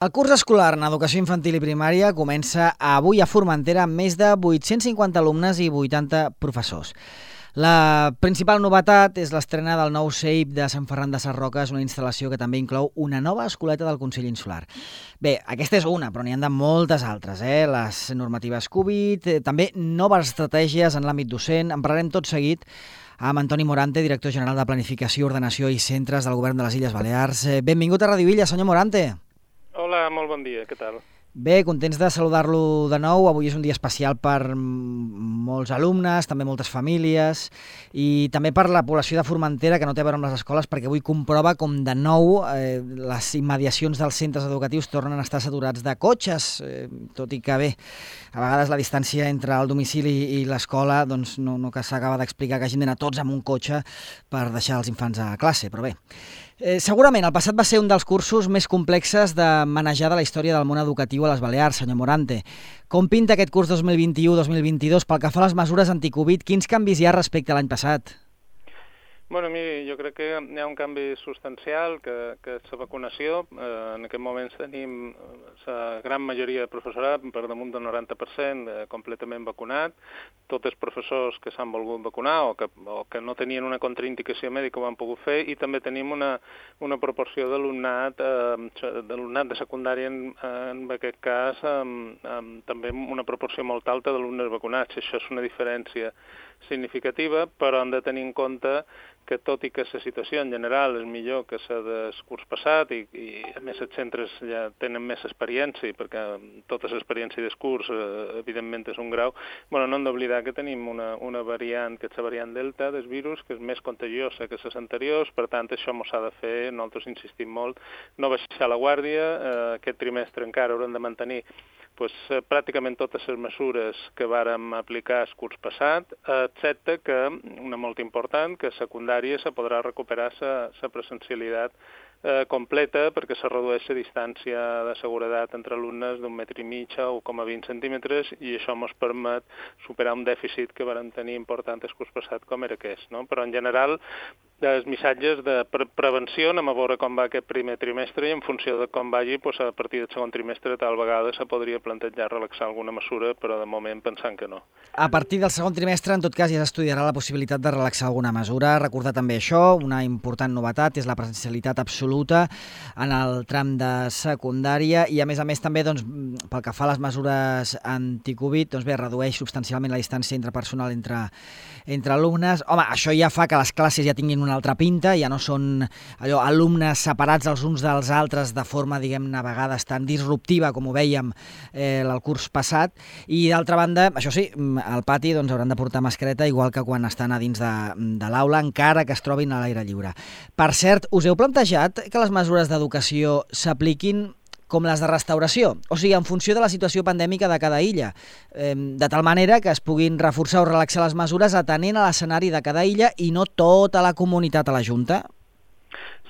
El curs escolar en educació infantil i primària comença avui a Formentera amb més de 850 alumnes i 80 professors. La principal novetat és l'estrena del nou CEIP de Sant Ferran de Sarroques, una instal·lació que també inclou una nova escoleta del Consell Insular. Bé, aquesta és una, però n'hi ha de moltes altres, les normatives Covid, també noves estratègies en l'àmbit docent. En parlarem tot seguit amb Antoni Morante, director general de Planificació, Ordenació i Centres del Govern de les Illes Balears. Benvingut a Radio Illa, senyor Morante. Hola, molt bon dia, què tal? Bé, contents de saludar-lo de nou. Avui és un dia especial per molts alumnes, també moltes famílies i també per la població de Formentera, que no té a veure amb les escoles, perquè avui comprova com de nou les immediacions dels centres educatius tornen a estar saturats de cotxes, tot i que bé, a vegades la distància entre el domicili i l'escola doncs no que s'acaba d'explicar que hagin d'anar tots amb un cotxe per deixar els infants a classe, però bé. Segurament el passat va ser un dels cursos més complexes de manejar de la història del món educatiu a les Balears, senyor Morante. Com pinta aquest curs 2021-2022 pel que fa a les mesures anticovid? Quins canvis hi ha respecte a l'any passat? Bueno, miri, jo crec que hi ha un canvi substancial, que és la vacunació. En aquest moment tenim la gran majoria de professorat, per damunt del 90%, completament vacunat. Tots els professors que s'han volgut vacunar o que no tenien una contraindicació mèdica ho han pogut fer, i també tenim una proporció d'alumnat de secundària, en aquest cas, també una proporció molt alta d'alumnes vacunats. Això és una diferència significativa, però hem de tenir en compte que tot i que la situació en general és millor que la del curs passat i a més els centres ja tenen més experiència, perquè tota l'experiència del curs evidentment és un grau, no hem d'oblidar que tenim una variant, que és la variant Delta del virus, que és més contagiosa que les anteriors. Per tant, això ens ha de fer, nosaltres insistim molt, no baixar la guàrdia. Aquest trimestre encara haurem de mantenir pràcticament totes les mesures que vàrem aplicar el curs passat, excepte que, una molt important, que a secundària se podrà recuperar la presencialitat completa, perquè se redueix la distància de seguretat entre alumnes d'1,5 metres a 1,20 centímetres, i això ens permet superar un dèficit que vàrem tenir important el curs passat, com era aquest, no? Però en general, els missatges de prevenció, anem a veure com va aquest primer trimestre, i en funció de com vagi, a partir del segon trimestre tal vegada se podria plantejar relaxar alguna mesura, però de moment pensant que no. A partir del segon trimestre, en tot cas, ja s'estudiarà la possibilitat de relaxar alguna mesura. Recordar també això, una important novetat és la presencialitat absoluta en el tram de secundària, i a més també, pel que fa a les mesures anticovid, redueix substancialment la distància interpersonal entre alumnes. Home, això ja fa que les classes ja tinguin una altra pinta, ja no són alumnes separats els uns dels altres de forma, diguem-ne, a vegades tan disruptiva com ho vèiem el curs passat. I d'altra banda, això sí, al pati hauran de portar mascareta, igual que quan estan a dins de l'aula, encara que es trobin a l'aire lliure. Per cert, us heu plantejat que les mesures d'educació s'apliquin com les de restauració, o sigui, en funció de la situació pandèmica de cada illa, de tal manera que es puguin reforçar o relaxar les mesures atenent a l'escenari de cada illa i no tota la comunitat a la Junta?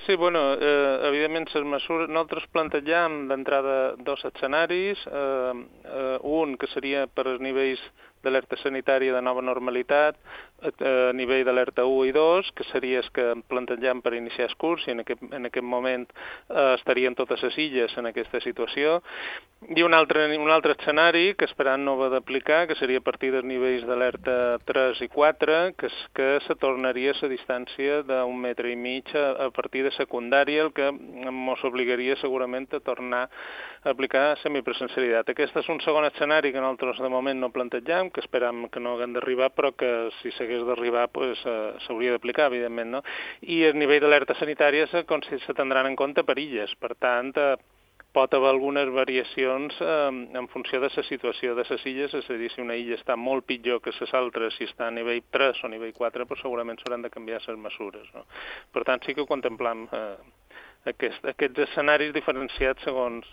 Sí, evidentment, les mesures, nosaltres plantegem d'entrada dos escenaris, un que seria per als nivells d'alerta sanitària de nova normalitat, a nivell d'alerta 1 i 2, que seria el que plantegem per iniciar el curs, i en aquest moment estarien totes les illes en aquesta situació, i un altre escenari que esperant no haver d'aplicar, que seria a partir dels nivells d'alerta 3 i 4, que se tornaria a la distància d'1,5 metres a partir de secundària, el que ens obligaria segurament a tornar a aplicar semipresencialitat. Aquest és un segon escenari que nosaltres de moment no plantegem, que esperam que no haguem d'arribar, però que si s'hagués d'arribar s'hauria d'aplicar, evidentment, no? I el nivell d'alerta sanitària se tindran en compte per illes. Per tant, pot haver algunes variacions en funció de la situació de les illes, és a dir, si una illa està molt pitjor que les altres, si està a nivell 3 o nivell 4, segurament s'hauran de canviar les mesures, no? Per tant, sí que ho contemplam aquests escenaris diferenciats segons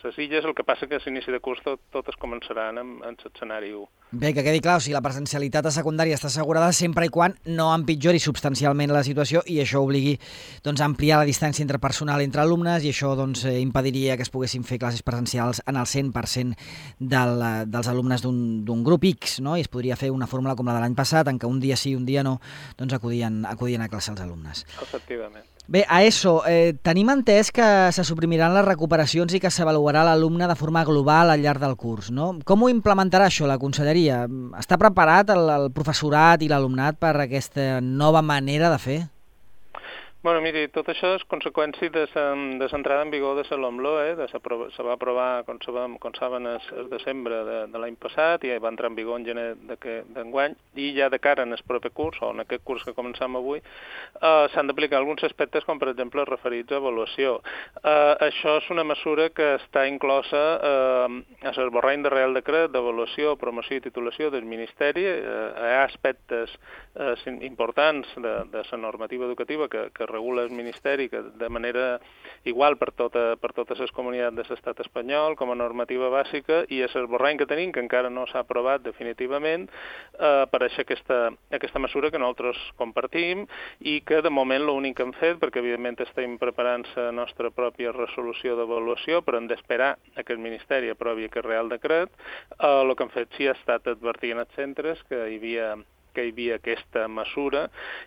les illes. El que passa que a l'inici de curs totes començaran en l'escenari 1. Bé, que quedi clar, o sigui, la presencialitat a secundària està assegurada sempre i quan no empitjori substancialment la situació i això obligui a ampliar la distància interpersonal entre alumnes, i això impediria que es poguessin fer classes presencials en el 100% dels alumnes d'un grup X, no? I es podria fer una fórmula com la de l'any passat, en què un dia sí, un dia no, acudien a classe els alumnes. Efectivament. Bé, a ESO, tenim entès que se suprimiran les recuperacions i que s'avaluarà l'alumne de forma global al llarg del curs, no? Com ho implementarà això la conselleria? Està preparat el professorat i l'alumnat per aquesta nova manera de fer? Bueno, miri, tot això és conseqüència de l'entrada en vigor de la LOMLOE, se va aprovar, com saben, el desembre de l'any passat i va entrar en vigor en gener d'enguany, i ja de cara en el proper curs, o en aquest curs que començam avui, s'han d'aplicar alguns aspectes com, per exemple, referits a avaluació. Això és una mesura que està inclosa a l'esborrany de Reial Decret d'avaluació, promoció i titulació del Ministeri. Hi ha aspectes importants de la normativa educativa que regula el Ministeri de manera igual per totes les comunitats de l'estat espanyol com a normativa bàsica, i és l'esborrany que tenim, que encara no s'ha aprovat definitivament, apareix aquesta mesura que nosaltres compartim i que de moment l'únic que hem fet, perquè evidentment estem preparant la nostra pròpia resolució d'avaluació, però hem d'esperar que el Ministeri aprovi aquest Real Decret, el que hem fet sí ha estat advertir als centres que hi havia aquesta mesura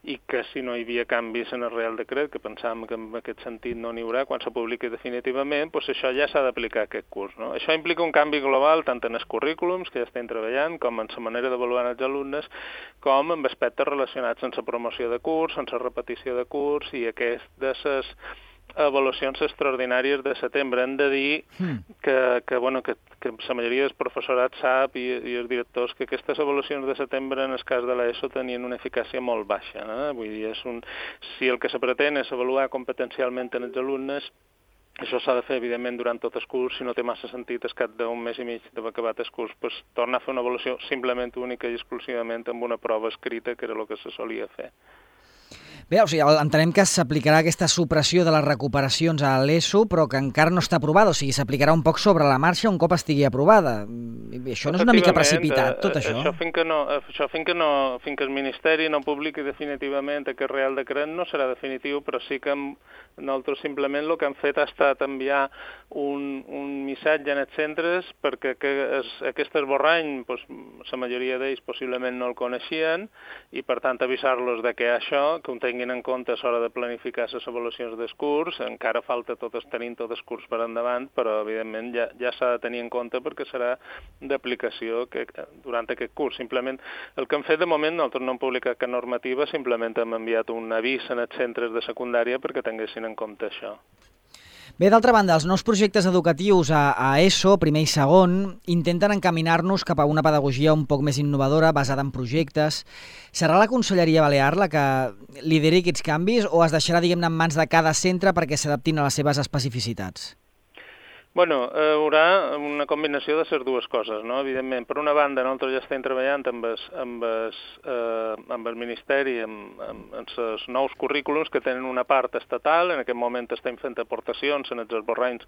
i que si no hi havia canvis en el Real Decret, que pensàvem que en aquest sentit no n'hi haurà, quan se publiqui definitivament, doncs això ja s'ha d'aplicar aquest curs. No? Això implica un canvi global tant en els currículums, que ja estem treballant, com en la manera d'avaluar els alumnes, com en aspectes relacionats amb la promoció de curs, amb la repetició de curs i aquestes avaluacions extraordinàries de setembre. Hem de dir que la majoria dels professorats sap i els directors que aquestes avaluacions de setembre en el cas de l'ESO tenien una eficàcia molt baixa. Vull dir, si el que se pretén és avaluar competencialment en els alumnes, això s'ha de fer, evidentment, durant tot el curs. Si no té massa sentit, al cap d'un mes i mig d'haver acabat el curs, doncs tornar a fer una avaluació simplement única i exclusivament amb una prova escrita, que era el que se solia fer. Bé, o sigui, entenem que s'aplicarà aquesta supressió de les recuperacions a l'ESO, però que encara no està aprovada, o sigui, s'aplicarà un poc sobre la marxa un cop estigui aprovada. Això no és una mica precipitat, tot això? Això fins que el Ministeri no publiqui definitivament aquest Real Decret no serà definitiu, però sí que nosaltres simplement el que hem fet ha estat enviar un missatge en els centres perquè aquest esborrany, la majoria d'ells possiblement no el coneixien, i per tant avisar-los de que això, que ho tinguin en compte a l'hora de planificar les avaluacions del curs. Encara falta tenint tot el curs per endavant, però evidentment ja s'ha de tenir en compte perquè serà d'aplicació durant aquest curs. Simplement el que hem fet de moment, nosaltres no hem publicat cap normativa, simplement hem enviat un avís en els centres de secundària perquè tinguessin en compte això. Bé, d'altra banda, els nous projectes educatius a ESO, primer i segon, intenten encaminar-nos cap a una pedagogia un poc més innovadora, basada en projectes. Serà la Conselleria Balear la que lideri aquests canvis o es deixarà, diguem-ne, en mans de cada centre perquè s'adaptin a les seves especificitats? Bueno, hi haurà una combinació de les dues coses, no? Evidentment, per una banda, nosaltres ja estem treballant amb el Ministeri, amb els nous currículums que tenen una part estatal. En aquest moment estem fent aportacions en els esborranys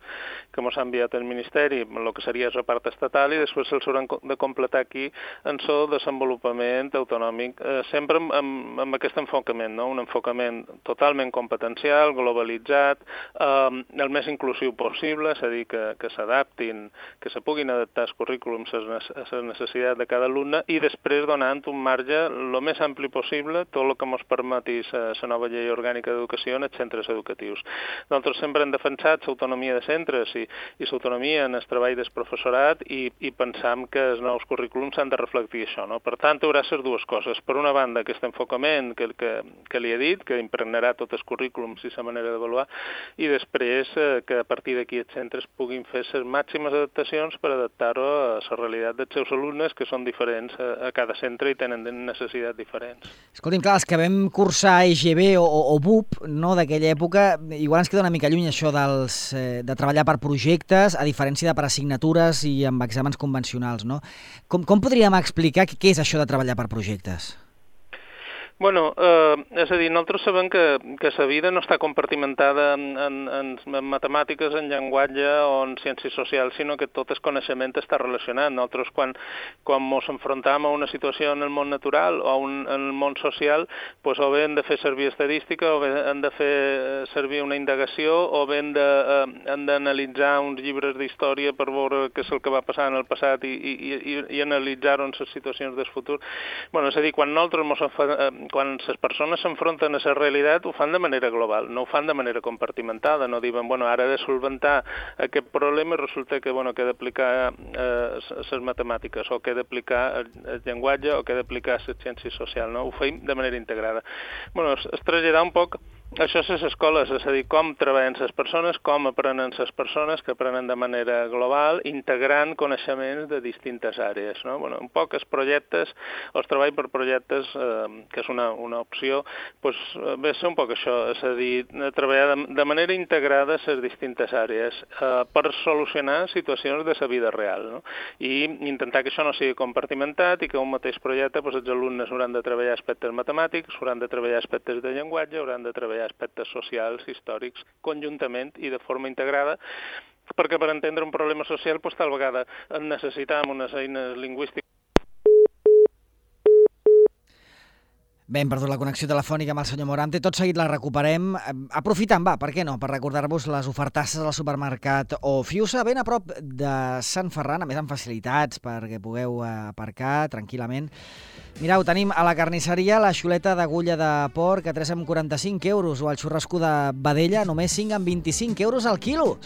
que ens ha enviat el Ministeri, el que seria la part estatal, i després se'ls hauran de completar aquí en el desenvolupament autonòmic, sempre amb aquest enfocament, no? Un enfocament totalment competencial, globalitzat, el més inclusiu possible, és a dir, que s'adaptin, que se puguin adaptar els currículums a les necessitats de cada alumne, i després donant un marge el més ampli possible, tot el que ens permeti la nova llei orgànica d'educació en els centres educatius. Nosaltres sempre hem defensat l'autonomia de centres i l'autonomia en el treball del professorat, i pensam que els nous currículums han de reflectir això, no? Per tant, hi haurà les dues coses. Per una banda, aquest enfocament que li he dit, que impregnarà tots els currículums i la manera d'avaluar, i després que a partir d'aquí els centres puguin fer les màximes adaptacions per adaptar-ho a la realitat dels seus alumnes, que són diferents a cada centre i tenen necessitats diferents. Escolti'm, clar, els que vam cursar EGB o BUP, no, d'aquella època, igual ens queda una mica lluny això de treballar per projectes, a diferència de per assignatures i amb exàmens convencionals, no? Com podríem explicar què és això de treballar per projectes? Bueno, és a dir, nosaltres sabem que la vida no està compartimentada en matemàtiques, en llenguatge o en ciències socials, sinó que tot el coneixement està relacionat. Nosaltres, quan ens enfrontam a una situació en el món natural o en el món social, doncs o bé hem de fer servir estadística, o bé hem de fer servir una indagació, o bé hem d'analitzar uns llibres d'història per veure què és el que va passar en el passat i analitzar-ho en les situacions del futur. Bueno, és a dir, quan nosaltres quan les persones s'enfronten a la realitat ho fan de manera global, no ho fan de manera compartimentada, no diuen, bueno, ara he de solventar aquest problema i resulta que, bueno, que he d'aplicar les matemàtiques o que he d'aplicar el llenguatge o que he d'aplicar les ciències socials, no? Ho feim de manera integrada. Bueno, es traslladar un poc això a les escoles, és a dir, com treballen les persones, com aprenen les persones, que aprenen de manera global, integrant coneixements de distintes àrees, no? Bueno, un poc els projectes, els treball per projectes, que és una opció, doncs ve a ser un poc això, és a dir, treballar de manera integrada les distintes àrees per solucionar situacions de la vida real, no? I intentar que això no sigui compartimentat i que un mateix projecte, doncs els alumnes hauran de treballar aspectes matemàtics, hauran de treballar aspectes de llenguatge, hauran de treballar aspectes socials, històrics, conjuntament i de forma integrada, perquè per entendre un problema social doncs, tal vegada necessitam unes eines lingüístiques. Bé, hem perdut la connexió telefònica amb el senyor Morante, tot seguit la recuperem. Aprofitant, per què no, per recordar-vos les ofertasses al supermercat Ofiusa, ben a prop de Sant Ferran, a més amb facilitats perquè pugueu aparcar tranquil·lament. Mireu, tenim a la carnisseria la xuleta d'agulla de porc a 3,45 € o el xurrasco de vedella només 5,25 € al quilo.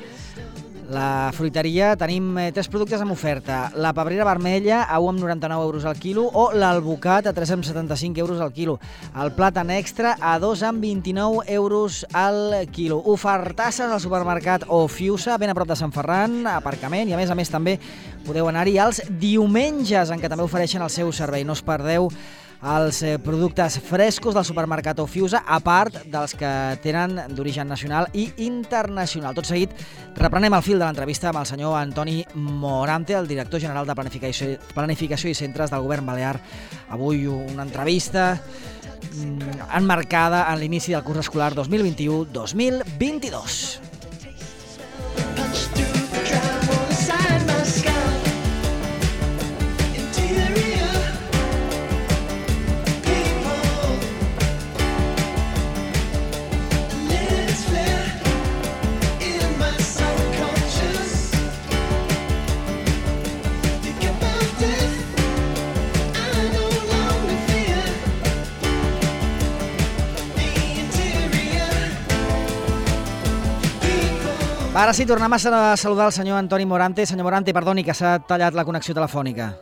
La fruiteria tenim 3 productes amb oferta. La pebrera vermella a 1,99 € al quilo o l'alvocat a 3,75 € al quilo. El plàtan extra a 2,29 € al quilo. Ofertasses al supermercat Ofiusa, ben a prop de Sant Ferran, aparcament, i a més també podeu anar-hi els diumenges, en què també ofereixen el seu servei. No us perdeu els productes frescos del supermercat Ofiusa, a part dels que tenen d'origen nacional i internacional. Tot seguit reprenem el fil de l'entrevista amb el senyor Antoni Morante, el director general de Planificació i Centres del Govern Balear. Avui una entrevista emmarcada en l'inici del curs escolar 2021-2022. Ara sí, tornem a saludar el senyor Antoni Morante. Senyor Morante, perdoni que s'ha tallat la connexió telefònica.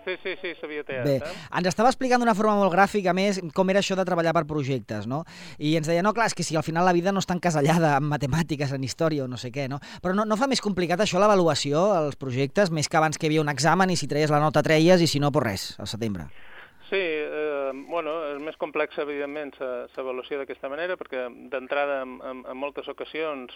Sí, s'havia tallat. Bé, ens estava explicant d'una forma molt gràfica, a més, com era això de treballar per projectes, no? I ens deia, no, clar, és que si al final la vida no està encasellada en matemàtiques, en història o no sé què, no? Però no fa més complicat això l'avaluació, els projectes, més que abans que hi havia un examen i si treies la nota treies i si no, pues res, al setembre. Sí, és més complex, evidentment, l'avaluació d'aquesta manera, perquè d'entrada, en moltes ocasions,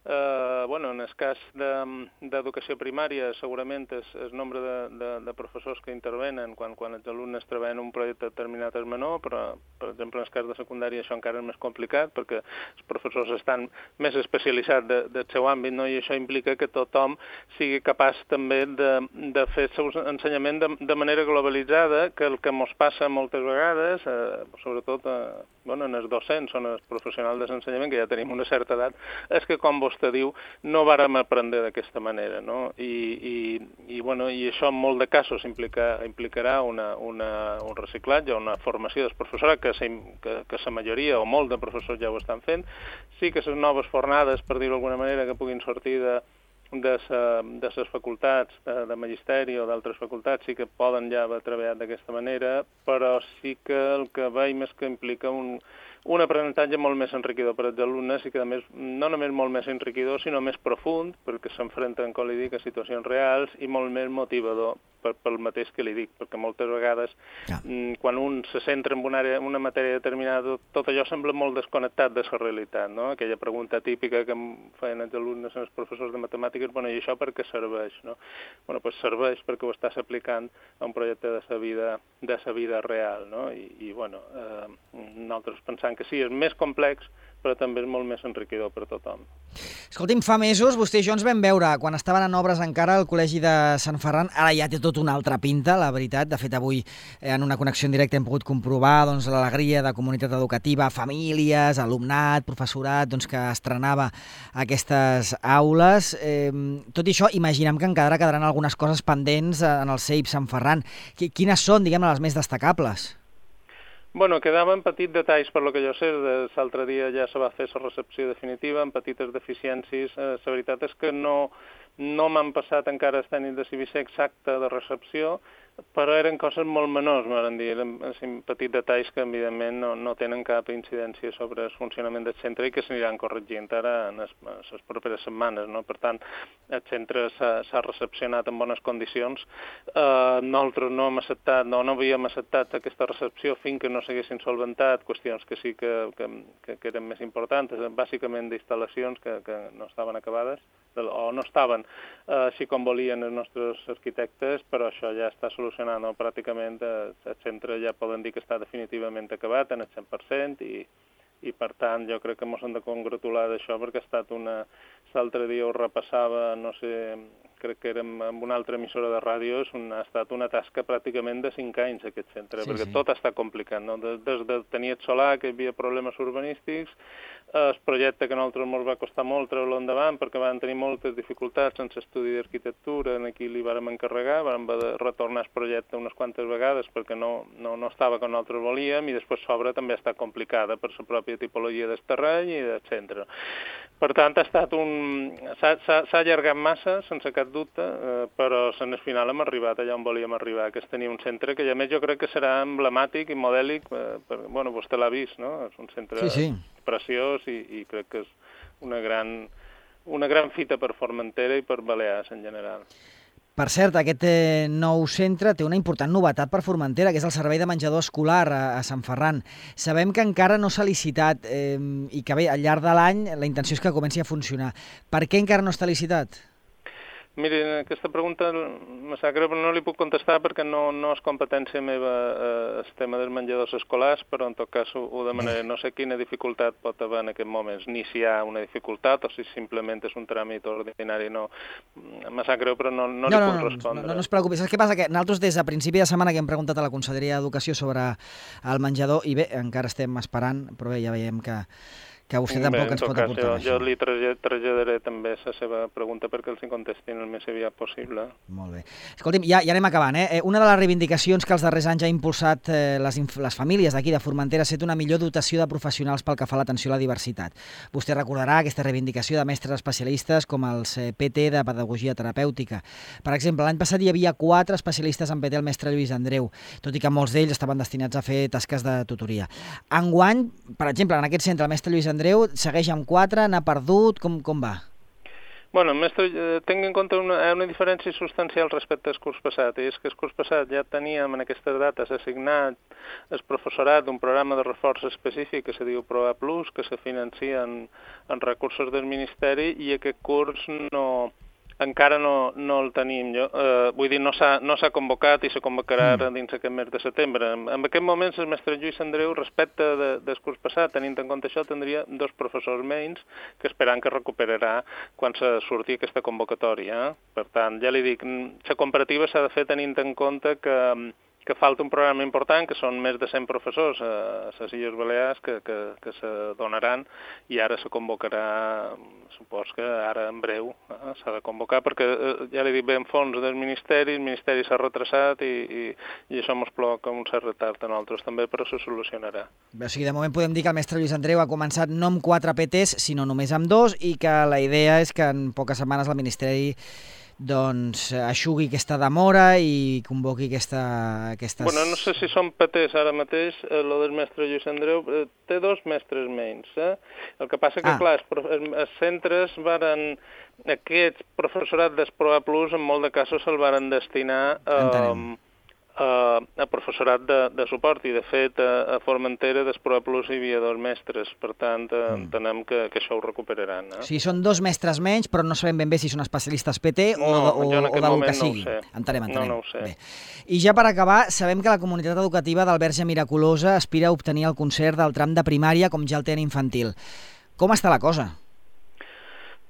en el cas d'educació primària, segurament el nombre de professors que intervenen quan els alumnes treballen un projecte determinat és menor, però, per exemple, en el cas de secundària això encara és més complicat, perquè els professors estan més especialitzats del seu àmbit, no? I això implica que tothom sigui capaç també de fer el seu ensenyament de manera globalitzada, que el que ens passa moltes vegades, sobretot en els docents o en els professionals de l'ensenyament, que ja tenim una certa edat, és que, com vostè diu, no vàrem aprendre d'aquesta manera, no? I això en molt de casos implicarà un reciclatge, una formació del professorat, que la majoria o molt de professors ja ho estan fent. Sí que les noves fornades, per dir-ho d'alguna manera, que puguin sortir de les facultats de magisteri o d'altres facultats sí que poden ja haver treballat d'aquesta manera, però sí que el que veiem és que implica un aprenentatge molt més enriquidor per als alumnes i que, a més, no només molt més enriquidor, sinó més profund, perquè s'enfrenten, com li dic, a situacions reals i molt més motivador pel mateix que li dic, perquè moltes vegades quan un se centra en una matèria determinada, tot allò sembla molt desconnectat de la realitat, no? Aquella pregunta típica que em feien els alumnes i els professors de matemàtiques, i això per què serveix, no? Doncs serveix perquè ho estàs aplicant a un projecte de sa vida real, no? I nosaltres pensam que sí, és més complex, però també és molt més enriquidor per tothom. Escolti'm, fa mesos vostè i jo ens vam veure, quan estaven en obres encara al Col·legi de Sant Ferran, ara ja té tot una altra pinta, la veritat. De fet, avui en una connexió en directe hem pogut comprovar l'alegria de comunitat educativa, famílies, alumnat, professorat, que estrenava aquestes aules. Tot i això, imaginem que encara quedaran algunes coses pendents en el CEIP Sant Ferran. Quines són, diguem-ne, les més destacables? Bueno, quedaven petits detalls, per lo que jo sé, l'altre dia ja se va fer la recepció definitiva, amb petites deficiències. La veritat és que no m'han passat encara el tècnic de CIVIC exacte de recepció, però eren coses molt menors, m'han dit, eren petits detalls que evidentment no tenen cap incidència sobre el funcionament del centre i que s'aniran corregint ara en les properes setmanes, no? Per tant, el centre s'ha recepcionat en bones condicions. Nosaltres no havíem acceptat aquesta recepció fins que no s'haguessin solventat qüestions que sí que eren més importants, bàsicament d'instal·lacions que no estaven acabades o no estaven així com volien els nostres arquitectes, però això ja està solucionat, no? Pràcticament el centre ja poden dir que està definitivament acabat en el 100% i per tant jo crec que ens hem de congratular d'això perquè ha estat l'altre dia ho repassava, no sé, crec que érem amb una altra emissora de ràdio, ha estat una tasca pràcticament de 5 anys aquest centre, perquè tot està complicat, no? Des de tenir el solar, que hi havia problemes urbanístics, el projecte que a nosaltres ens va costar molt treure-lo endavant perquè van tenir moltes dificultats en l'estudi d'arquitectura, en aquí li vàrem encarregar, vàrem retornar el projecte unes quantes vegades perquè no estava com nosaltres volíem i després l'obra també està complicada per la pròpia tipologia del terreny i del centre. Per tant, s'ha allargat massa, sense cap dubte, però en el final hem arribat allà on volíem arribar, que és tenir un centre que a més jo crec que serà emblemàtic i modèlic, bueno, vostè l'ha vist, no? És un centre preciós i crec que és una gran fita per Formentera i per Balears en general. Per cert, aquest nou centre té una important novetat per Formentera, que és el servei de menjador escolar a Sant Ferran. Sabem que encara no s'ha licitat i que bé, al llarg de l'any la intenció és que comenci a funcionar. Per què encara no està licitat? Miri, aquesta pregunta me sap greu, però no li puc contestar perquè no és competència meva el tema dels menjadors escolars, però en tot cas ho demanaré. No sé quina dificultat pot haver en aquest moments, ni si hi ha una dificultat o si simplement és un tràmit ordinari. No, me sap greu, però no li puc respondre. No es preocupi. Saps què passa? Que nosaltres des de principi de setmana que hem preguntat a la Conselleria d'Educació sobre el menjador i bé, encara estem esperant, però bé, ja veiem que vostè tampoc ens pot aportar això. Jo li traslladaré també la seva pregunta perquè els contestin el més aviat possible. Molt bé. Escolti'm, ja anem acabant. Una de les reivindicacions que els darrers anys ha impulsat les famílies d'aquí de Formentera ha estat una millor dotació de professionals pel que fa a l'atenció a la diversitat. Vostè recordarà aquesta reivindicació de mestres especialistes com els PT de Pedagogia Terapèutica. Per exemple, l'any passat hi havia 4 especialistes en PT al mestre Lluís Andreu, tot i que molts d'ells estaven destinats a fer tasques de tutoria. Enguany, per exemple, en aquest centre, el mestre Lluís Andreu segueix amb 4, n'ha perdut, com va? Bueno, tenc en compte una diferència substancial respecte al curs passat, i és que el curs passat ja teníem en aquestes dates assignat el professorat d'un programa de reforç específic que se diu ProA Plus, que se financia en recursos del Ministeri, i aquest curs encara no el tenim. Vull dir, no s'ha convocat i se convocarà dins aquest mes de setembre. En aquest moment, el mestre Lluís Andreu, respecte del curs passat, tenint en compte això, tindria 2 professors menys que esperant que recuperarà quan se surti aquesta convocatòria. Per tant, ja li dic, la comparativa s'ha de fer tenint en compte que falta un programa important, que són més de 100 professors a les Illes Balears que se donaran i ara se convocarà, supos que ara en breu s'ha de convocar, perquè ja li dic, ve en fons del Ministeri, el Ministeri s'ha retrasat i això ens provoca un cert retard a nosaltres també, però se solucionarà. O sigui, de moment podem dir que el mestre Lluís Andreu ha començat no amb 4 PTs, sinó només amb 2, i que la idea és que en poques setmanes el Ministeri aixugui aquesta demora i convoqui aquestes... Bueno, no sé si són PTs ara mateix, lo del mestre Lluís Andreu, té 2 mestres menys. El que passa que, clar, els centres aquest professorat d'Esproa Plus, en molt de casos se'l varen destinar a professorat de suport, i de fet a Formentera d'Esproa Plus hi havia 2 mestres, per tant entenem que això ho recuperaran. Sí, són 2 mestres menys, però no sabem ben bé si són especialistes PT o del que sigui. Entenem. No ho sé. Bé. I ja per acabar, sabem que la comunitat educativa del Verge Miraculosa aspira a obtenir el concert del tram de primària com ja el té en infantil. Com està la cosa?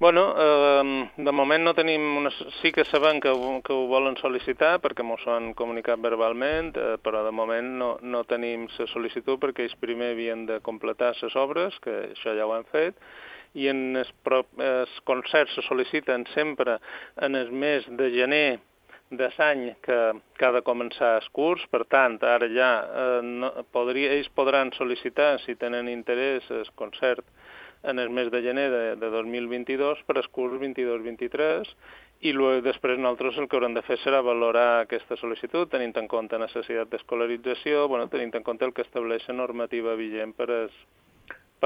Bueno, de moment no tenim... Sí que sabem que ho volen sol·licitar perquè ens ho han comunicat verbalment, però de moment no tenim la sol·licitud perquè ells primer havien de completar les obres, que això ja ho han fet, i els concerts se sol·liciten sempre en el mes de gener l'any que ha de començar el curs. Per tant, ara ja ells podran sol·licitar, si tenen interès, el concert en el mes de gener de 2022 per al curs 22-23, i després nosaltres el que haurem de fer serà valorar aquesta sol·licitud, tenint en compte la necessitat d'escolarització, tenint en compte el que estableix la normativa vigent per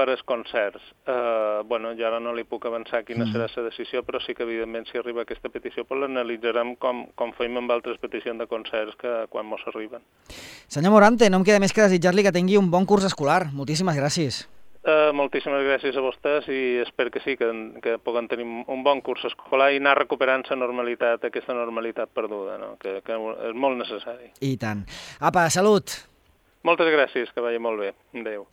als concerts. Jo ara no li puc avançar quina serà la decisió, però sí que, evidentment, si arriba aquesta petició, l'analitzarem com fem amb altres peticions de concerts que quan mos arriben. Senyor Morante, no em queda més que desitjar-li que tingui un bon curs escolar. Moltíssimes gràcies. Moltíssimes gràcies a vostès i espero que sí, que puguem tenir un bon curs escolar i anar recuperant la normalitat, aquesta normalitat perduda, no? que és molt necessari. I tant. Apa, salut! Moltes gràcies, que vagi molt bé. Adéu.